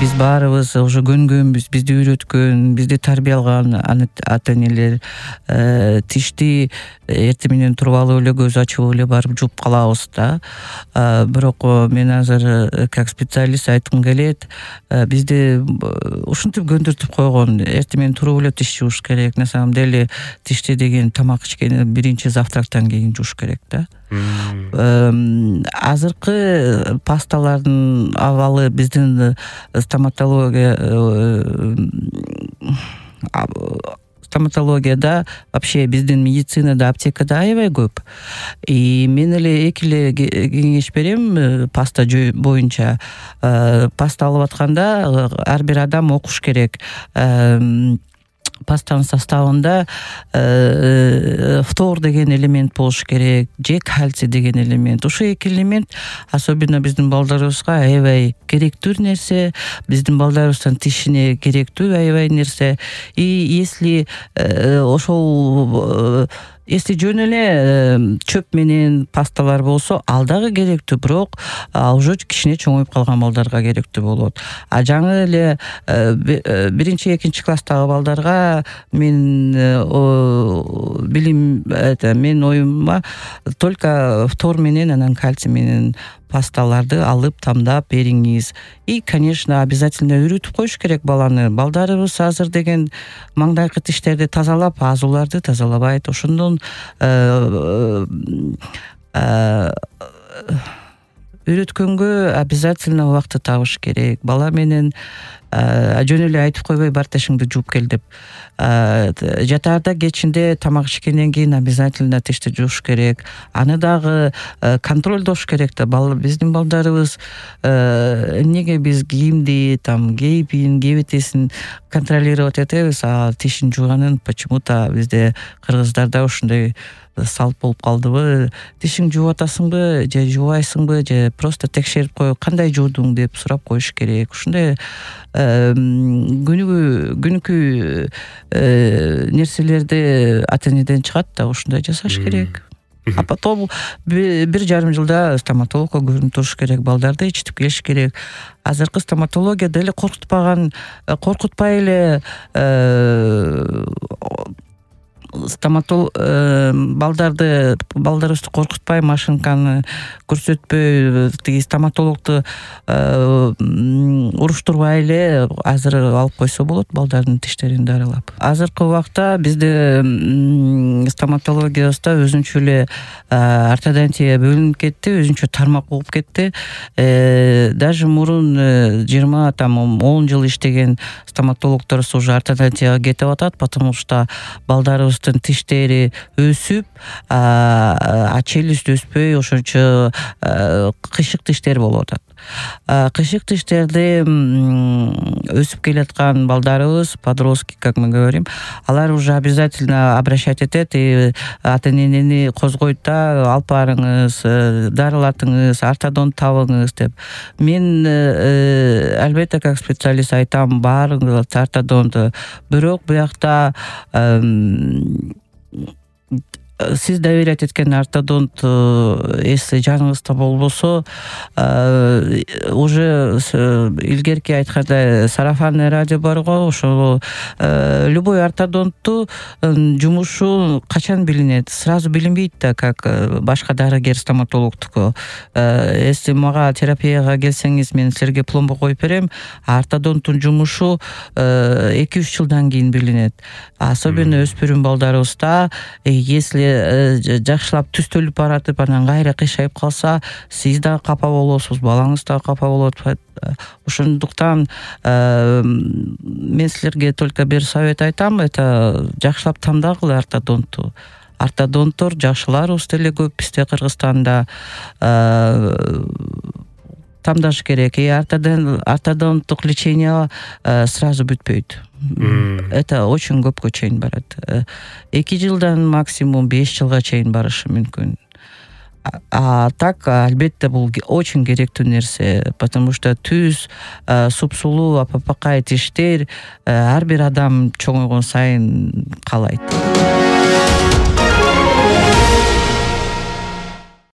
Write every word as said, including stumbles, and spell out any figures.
биз баарыбыз уже көнгөнбүз, бизди үйрөткөн, бизди тарбиялаган ата энелер тишти эртең менен туруп алып эле көз ачып эле барып жууп калабыз да. Бирок мен азыр как специалист айткым келет, бизди ушинтип көндүртүп койгон, эртең менен туруп эле тиш жууш керек. На самом деле тишти деген тамак ичкенде биринчи завтрактан кийин жууш керек да. Азыркы пасталардын абалы биздин стоматология стоматологияда, вообще биздин медицинада, аптекада аябай көп. И мен эле эки эле кеңеш берем паста боюнча. Паста алып атканда ар бир адам окуш керек. Пастанын составында фтор деген элемент болуш керек, же кальций деген элемент. Ушул эки элемент особенно биздин балдарыбызга аябай керектүү нерсе, биздин балдарыбыздын тишине керектүү аябай нерсе. И если ошол Если жөн эле чөп менен пасталар болсо, ал дагы керектүү, бирок ал уже кичине чоңоюп калган балдарга керектүү болот. А жаңы эле биринчи, экинчи класстагы балдарга мен билим, мен оюмма только фтор менен, анан кальций менен пасталарды алып тамдап бериңиз. И, конечно, обязательно үйрөтүп коюш керек баланы. Балдарыбыз азыр деген маңдайкы тиштерди тазалап, азууларды тазалабайт. Ошондон үйрөткөнгө обязательно убакыт табыш керек. Бала менен жөн эле айтып койбой бар тишиңди жууп кел деп. Жатаарда кечинде тамак ичкенден кийин обязательно тишти жууш керек. Аны дагы контролдош керек да. Биздин балдарыбыз эмнеге биз кийимди там кейпин, кебетесин контролировать этебиз, а тишин жууганын почему-то бизде кыргыздарда ушундай салт болуп калдыбы. Тишиң жууп атасыңбы, же жуубайсыңбы, же просто текшерип коюп, кандай жуудуң деп сурап коюш керек. Ушундай күнүгө күнүкү нерселерди ата энеден чыгат да, ушундай жасаш керек. А потом бир жарым жылда стоматологко көрүнүп туруш керек, балдарды ичтип келиш керек. Азыркы стоматология деле коркутпаган, коркутпай эле стоматолог балдарды балдарыбызды коркутпай, машинканы көрсөтпөй, тиги стоматологду уруштурбай эле азыр алып койсо болот балдардын тиштерин дарылап. Азыркы убакта бизде стоматологиябызда өзүнчө эле ортодонтия бөлүнүп кетти, өзүнчө тармак болуп кетти. Даже мурун жыйырма там он жыл иштеген стоматологдорубуз уже ортодонтияга кетип атат, потому что балдарыбыз тиштери өсүп, а челюсть өспөй, ошончо кыйшык тиштер болуп атат. Кыйшык тиштерди өсүп келаткан балдарыбыз, подростки, как мы говорим, алар уже обязательно обращать этет, и ата энени козгойт да, алып барыңыз, дарылатыңыз, ортодонт табыңыз деп. Мен албетте как специалист айтам, барыңыз ортодонт. Бирок буякта сиз доверять эткен ортодонт если жаныңызда болбосо, уже илгерки айткандай сарафанный радио бар го, ошол любой ортодонтту жумушу качан билинет? Сразу билинбейт да, как башка дарыгер стоматологдуку. Если мага терапияга келсеңиз, мен силерге пломба коюп берем, а ортодонттун жумушу эки үч жылдан кийин билинет. Особенно өспүрүм балдарыбызда, если жакшылап түстөлүп баратып, анан кайра кыйшайып калса, сиз дагы капа болосуз, балаңыз дагы капа болот. Ошондуктан мен силерге только бир совет айтам, это жакшылап тандагыла ортодонтту. Ортодонттор жакшыларыбыз деле көп бизде Кыргызстанда. Тамдаш керек. И ортодонттук лечение сразу бүтпөйт. Это очень көпкө чейин барат. эки жылдан максимум беш жылга чейин барышы мүмкүн. А так, албетте, бул очень керектүү нерсе, потому что түз, супсулуу, апапакай тиштер ар бир адам чоңойгон сайын каалайт.